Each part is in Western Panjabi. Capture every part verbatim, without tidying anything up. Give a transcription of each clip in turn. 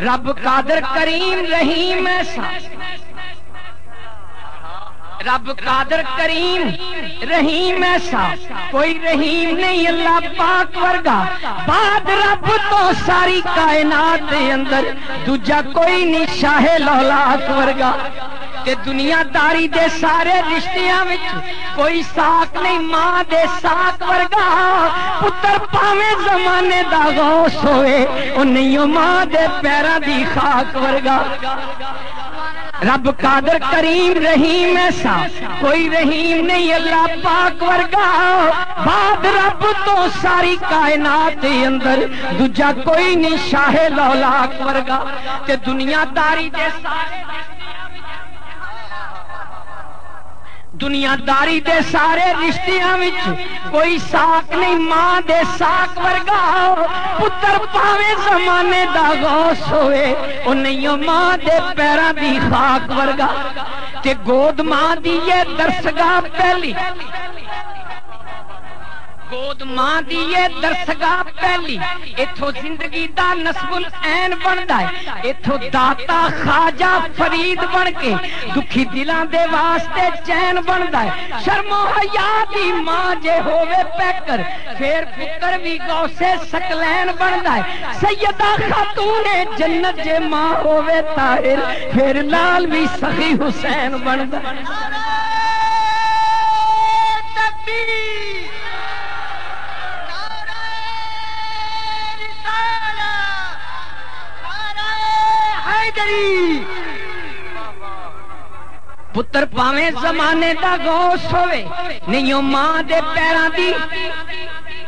رب قادر کریم رحیم ایسا، رب قادر کریم رحیم ایسا، کوئی رحیم نہیں اللہ پاک ورگا۔ بعد رب تو ساری کائنات دے اندر دوجا کوئی نہیں شاہ لولاک ورگا۔ تے دنیا داری دے سارے رشتیاں وچ کوئی ساک نہیں ماں دے ساک ورگا۔ پتر پاویں زمانے دا غوث ہوئے، او نہیں او ماں دے پیراں دی خاک ورگا۔ رب قادر کریم رحیم ایسا، کوئی رحیم نہیں اللہ پاک ورگا۔ بعد رب تو ساری کائنات دے اندر دوجا کوئی نہیں شاہ لولاک ورگا۔ تے دنیا داری دے سارے دنیا داری دے سارے رشتیاں وچ کوئی ساک نہیں ماں دے ساک ورگا۔ پتر پاویں زمانے دا غوث ہوئے، او نہیں او ماں دے پیراں دی خاک ورگا۔ تے گود ماں دی اے درسگاہ پہلی، گود ماں دی اے درسگاہ پہلی، اتھوں زندگی دا نصب العین بندا ہے۔ اتھوں داتا خواجہ فرید بن کے دکھی دلاں دے واسطے چین بندا ہے۔ شرم و حیا دی ماں جے ہووے پیکر، پھر پتر وی غوث ثقلین بندا ہے۔ سیدہ خاتون جنت جے ماں ہووے طاہر، پھر لال وی سخی حسین بندا ہے۔ نعرہ تکبیر، نعرہ رسالت، نعرہ حیدری۔ پتر پاویں زمانے دا غوث ہوئے، نہیں او ماں دے پیراں دی،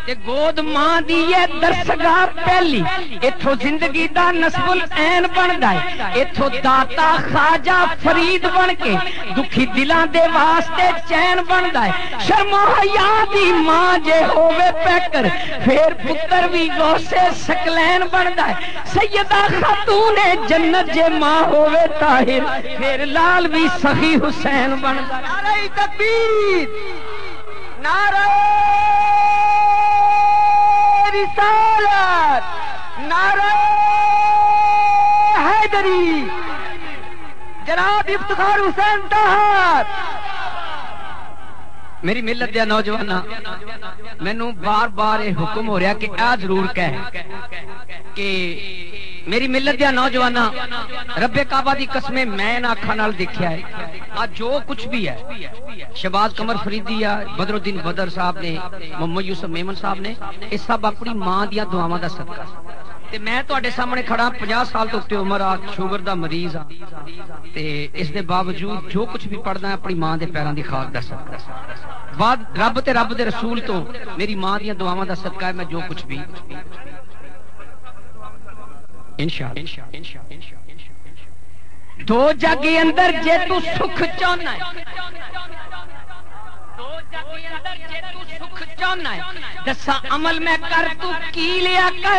تے گود ماں دی اے درسگاہ پہلی۔ اتھوں زندگی دا نصب العین بندا ہے۔ اتھوں داتا خواجہ فرید بن کے دکھی دلاں دے واسطے چین بندا ہے۔ شرم و حیا دی ماں جے ہووے پیکر، پھر پتر وی غوث ثقلین بندا ہے۔ سیدہ خاتون جنت جے ماں ہووے طاہر، پھر لال وی سخی حسین بندا۔ نعرہ تکبیر، نعرہ رسالت، نعرہ حیدری، جناب افتخار حسین طاہر۔ میری ملت دیا نوجواناں، مینوں بار بار یہ حکم ہو رہا کہ آ ضرور کہہ کہ میری ملت دیا نوجواناں، رب کعبہ دی قسمیں میں نہ اکھاں نال دیکھیا ہے۔ آ جو کچھ بھی ہے، شہباز قمر فریدی آ، بدر الدین بدر صاحب نے، محمد یوسف میمن صاحب نے، یہ سب اپنی ماں دیاں دعاواں دا صدقہ۔ تے میں تہاڈے سامنے کھڑا، پنجاہ سال تو اتے عمر آ، شوگر دا مریض آ، تے اس دے باوجود جو کچھ بھی پڑھدا ہے، اپنی ماں دے پیراں دی خاک دا صدقہ۔ بعد رب تے رب دے رسول تو، میری ماں دیاں دعاواں دا صدقہ ہے، میں جو کچھ بھی انشاءاللہ۔ دو جگ اندر جے تو سکھ چاہنا ہے، دو جگ اندر جے تو سکھ چاہنا ہے، دسا عمل میں کر تو کی لیا کر۔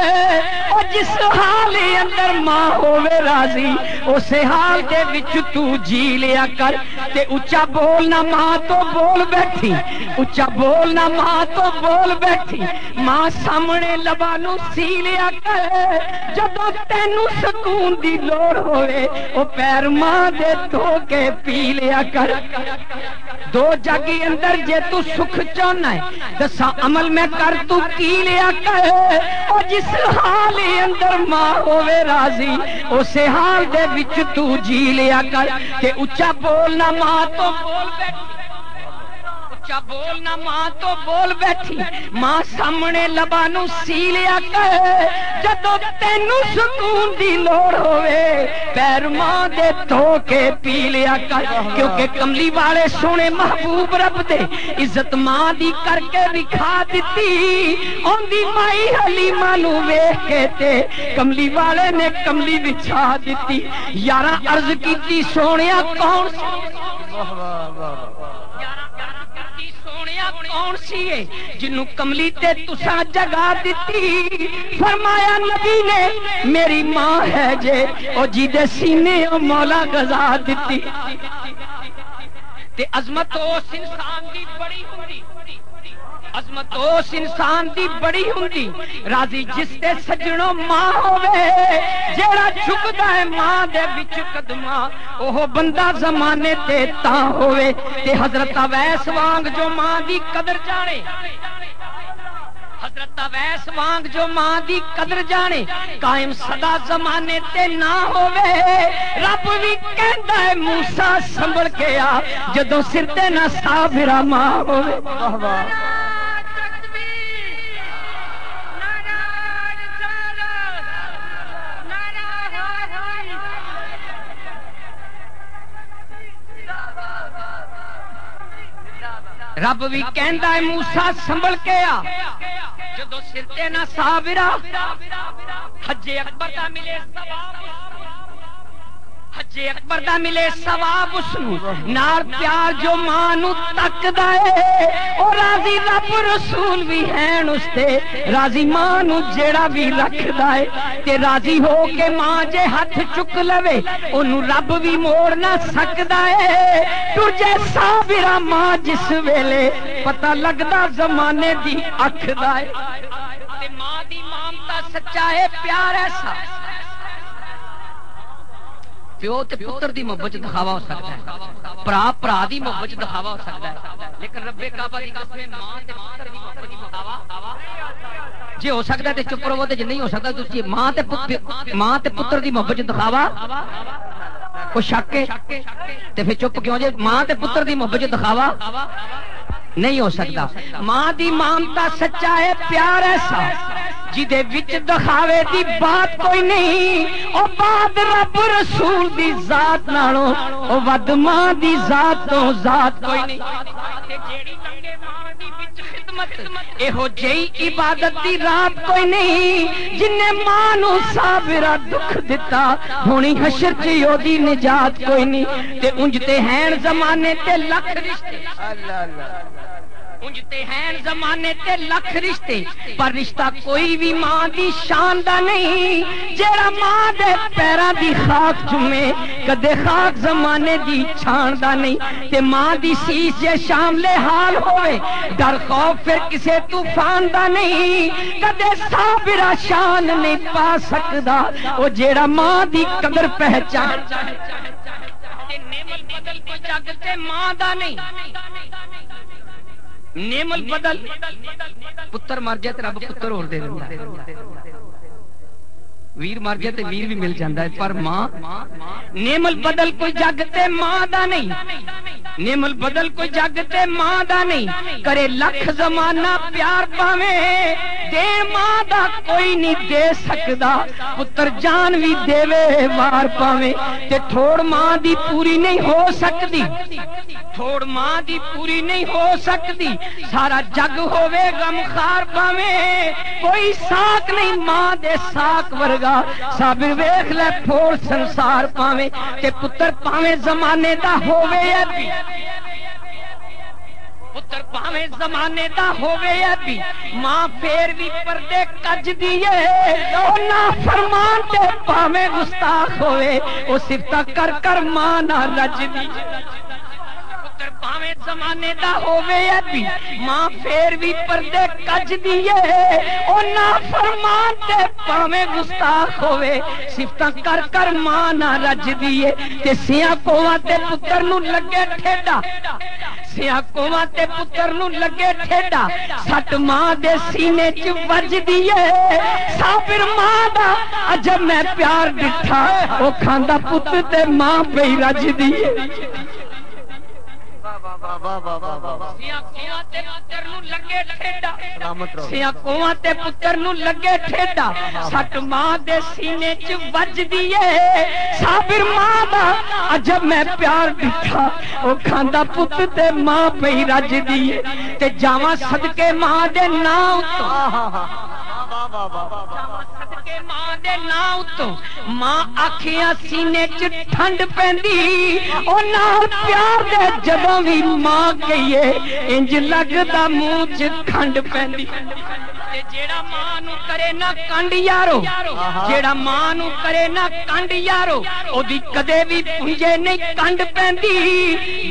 او جس حال اندر ماں ہووے راضی، اس حال دے وچ تو جی لیا کر۔ تے اچا بول نہ ماں تو بول بیٹھی، اچا بول نہ ماں تو بول بیٹھی۔ ماں سامنے لباں نوں سی لیا کر، جدوں تینوں سکون دی لوڑ ہوئے، او پیر ماں دے دھو کے پی لیا کر۔ دو جگ اندر جے تو سکھ چاہنا ہے، دسا عمل میں کر تو کی لیا کر۔ او جس حال اندر ماں ہووے راضی، اسے حال دے وچ تو جی لیا کر۔ تے اچا بول نہ ماں تو بول بیٹھی، اچا بول نہ ماں تو بول بیٹھی۔ ماں سامنے لباں نوں سی لیا کر، جدوں تینوں سکون دی لوڑ ہووے، پیر ماں دے دھو کے پی لیا کر۔ کیونکہ کملی والے سونے محبوب رب دے، عزت ماں دی کر کے وکھا دتی۔ اوندی مائی حلیمہ نوں ویکھ کے تے کملی والے نے کملی وچھا دتی۔ یاراں عرض کیتی، سونیا کون سی؟ سونیا کون سی ہے جنوں کملی تے تساں جگا دتی؟ فرمایا نبی نے، میری ماں ہے جے، او جی دے سینے او مولا غذا دتی۔ تے عظمت اس انسان دی بڑی ہوندی، عظمت اس انسان دی بڑی ہوندی، راضی جس تے سجنوں ماں ہووے، جیڑا جھک ہے ماں دے وچ قدماں، اوہ بندہ زمانے تے تاں ہووے۔ تے حضرت اویس وانگ جو ماں دی قدر جانے، حضرت اویس وانگ جو ماں دی قدر جانے، قائم سدا زمانے تے نہ ہووے۔ رب وی کہندا ہے، "موسیٰ سنبھل کے آ، جدوں سر تے نہ صابرہ ماں ہووے۔" واہ واہ۔ رب وی کہندا ہے، "موسیٰ سنبھل کے آ، جدوں سر تے نہ صابرہ۔" حج اکبر دا ملے ثواب، حج اکبر دا ملے ثواب اس نوں، نال پیار جو ماں نوں تکدا ہے، او راضی رب رسول وی ہین اس تے، راضی ماں نوں جیڑا وی رکھدا ہے، تے راضی ہو کے ماں جے ہتھ چک لوے، اونوں رب وی موڑ نہ سکدا ہے۔ ٹر جے صابرہ ماں جس ویلے، پتہ لگدا زمانے دی اکھ دا ہے۔ تے ماں دی مامتا سچا ہے، پیار ایسا۔ پیو تے پتر دی محبت چ دکھاوا ہو سکدا ہے، بھرا بھرا دی محبت چ دکھاوا ہو سکدا ہے، لیکن رب کعبہ دی قسم ہے، ماں تے پتر دی محبت چ دکھاوا جے ہو سکدا ہے تے چپ رہو، تے جے نہیں ہو سکدا تے تسی ماں تے پت-، ماں تے پتر دی محبت چ دکھاوا کوئی شک ہے؟ تے پھر چپ کیوں جے؟ ماں تے پتر دی محبت چ دکھاوا نہیں ہو سکدا۔ ماں دی مامتا سچا ہے، پیار ایسا جدے وچ دکھاوے دی بات کوئی نہیں۔ او بعد رب رسول دی ذات نالوں، او ود ماں دی ذات تو ذات کوئی نہیں۔ تے جیڑی لنگے ماں دی وچ خدمت، ایہو جئی عبادت دی رات کوئی نہیں۔ جن نے ماں نو صابرہ دکھ دتا، ہونی حشر چ اودی نجات کوئی نہیں۔ تے انج تے ہین زمانے تے لکھ رشتے، اللہ، اللہ۔ انج تے ہین زمانے تے لکھ رشتے، پر رشتہ کوئی وی ماں دی شان دا نہیں۔ جیڑا ماں دے پیراں دی خاک چومے، کدے خاک زمانے دی چھان دا نہیں۔ تے ماں دی سیس جے شاملے حال ہووے، ڈر خوف پھر کسے طوفان دا نہیں۔ کدے صابرہ شان نہیں پا سکدا، او جیڑا ماں دی قدر پہچان۔ تے نعم البدل کوئی جگ تے ماں دا نہیں۔ نعم البدل، پتر مر جائے تے رب پتر ہور دے دیندا ہے۔ ویر مر جائے تے ویر بھی مل جاندا ہے، پر ماں، نعم البدل کوئی جگ تے ماں دا نہیں۔ نعم البدل کوئی جگ تے ماں دا نہیں۔ کرے لکھ زمانہ پیار پاویں، دین ماں دا کوئی نہیں دے سکدا۔ پتر جان وی دیوے وار پاویں، تے تھوڑ ماں دی پوری نہیں ہو سکدی۔ تھوڑ ماں دی پوری نہیں ہو سکدی۔ سارا جگ ہووے غمخوار پاویں، کوئی ساک نہیں ماں دے ساک ورگا۔ صابر ویکھ لے پھوڑ سنسار پاویں، تے پتر پاویں زمانے دا ہووے یا بھی، پتر پاویں زمانے دا ہووے یا بھی، ماں پھر بھی پردے کجدی اے۔ او نافرمان تے پاویں گستاخ ہووے، او صفتاں کر کر ماں نہ رجدی اے۔ پتر پاویں زمانے دا ہووے یا بھی، ماں پھر بھی پردے کجدی اے۔ او نافرمان تے پاویں گستاخ ہووے، صفتاں کر کر ماں نہ رجدی اے۔ تے سیاں کوواں تے پتر نوں لگے ٹھیڈا، سیاں کوواں تے پتر نوں لگے ٹھیڈا، سٹ ماں دے سینے چ وجدی اے۔ صابر ماں دا عجب میں پیار ڈٹھا، او کھاندا پت تے ماں پئی رجدی اے۔ سیاں کوواں تے پتر نوں لگے ٹھیڈا، سلامت رہو۔ سیاں کوواں تے پتر نوں لگے ٹھیڈا، سٹ ماں دے سینے چ وجدی اے۔ صابر ماں دا عجب میں پیار ڈٹھا، او کھاندا پت تے ماں پئی رجدی اے۔ تے جاواں صدقے ماں دے ناں اتوں، جاواں صدقے ماں دے ناں اتوں، ماں آکھیاں سینے چ ٹھنڈ پیندی۔ او نال پیار دے جدوں وی ماں کہیے، انج لگدا منہ چ کھنڈ پیندی۔ جیڑا ماں نو کرے نہ کنڈ یارو، جیڑا ماں نو کرے نہ کنڈ یارو، اودی کدے وی پونجے نہیں کنڈ پیندی۔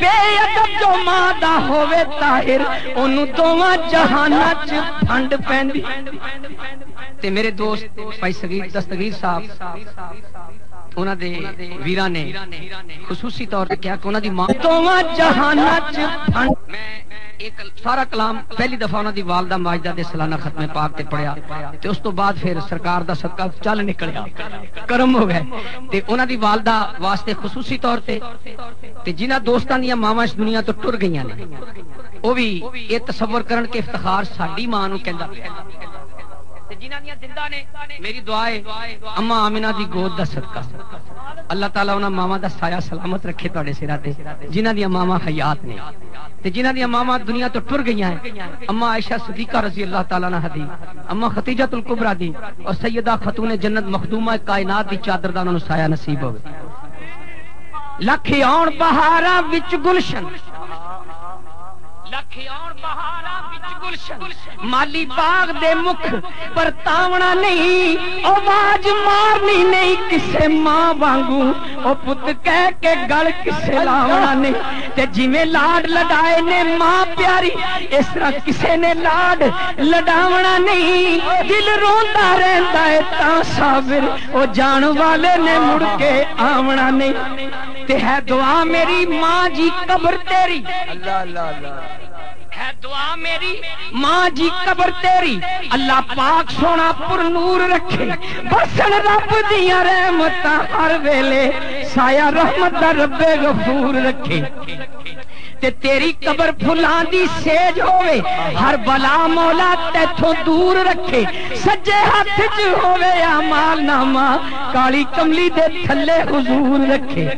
بے ادب جو ماں دا ہووے طاہر، اونوں دوواں جہاناں چ پھنڈ پیندی۔ تے میرے دوست بھائی صغیر دستگیر صاحب، انہاں دے ویراں نے خصوصی طور تے کہا کہ انہاں دی ماں دوواں جہاناں چ پھنڈ۔ میں ایک سارا کلام پہلی دفعہ انہاں دی والدہ ماجدہ دے سالانہ ختم پاک تے پڑھیا، تے اس تو بعد پھر سرکار دا صدقہ چل نکلیا، کرم ہو گئے۔ تے انہاں دی والدہ واسطے خصوصی طور تے، تے جنہاں دوستاں دیاں ماواں اس دنیا تو ٹر گئیاں نے، او بھی یہ تصور کرن کہ افتخار ساڈی ماں نو کہندا پیا۔ تے جنہاں دیاں زندہ نے، میری دعا ہے، اماں آمنہ دی گود دا صدقہ، اللہ تعالیٰ انہاں ماواں دا سایہ سلامت رکھے تہاڈے سراں تے، جنہاں دیاں ماواں حیات نے۔ تے جنہاں دیاں ماواں دنیا تو ٹر گئیاں ہیں، اماں عائشہ صدیقہ رضی اللہ تعالیٰ عنہا دی، اماں خدیجہ الکبریٰ دی، اور سیدہ خاتون جنت مخدومہ کائنات دی چادر دا انہاں نوں سایہ نصیب ہوئے۔ لکھ آن بہاراں وچ گلشن، لکھ آن بہاراں وچ گلشن، مالی باغ دے مکھ پرتاونا نہیں، آواز مارنی نہیں کسے ماں وانگوں، او پت کہہ کے گل کسے لاونا نہیں۔ تے جویں لاڈ لڈائے نے ماں پیاری، اس طرح کسے نے لاڈ لڈاونا نہیں۔ دل روندا رہندا ہے تاں صابر، او جان والے نے مڑ کے آونا نہیں۔ تے ہے دعا میری ماں جی قبر تیری، اللہ اللہ اللہ۔ ہے دعا میری ماں جی قبر تیری، اللہ پاک سونا پر نور رکھے، بسن رب دیاں رحمتاں ہر ویلے، سایہ رحمت دا رب غفور رکھے۔ تے تیری قبر پھلاں دی سیج ہووے، ہر بلا مولا تیتھوں دور رکھے، سجے ہاتھ چ ہووے اعمال نامہ، کالی کملی دے تھلے حضور رکھے۔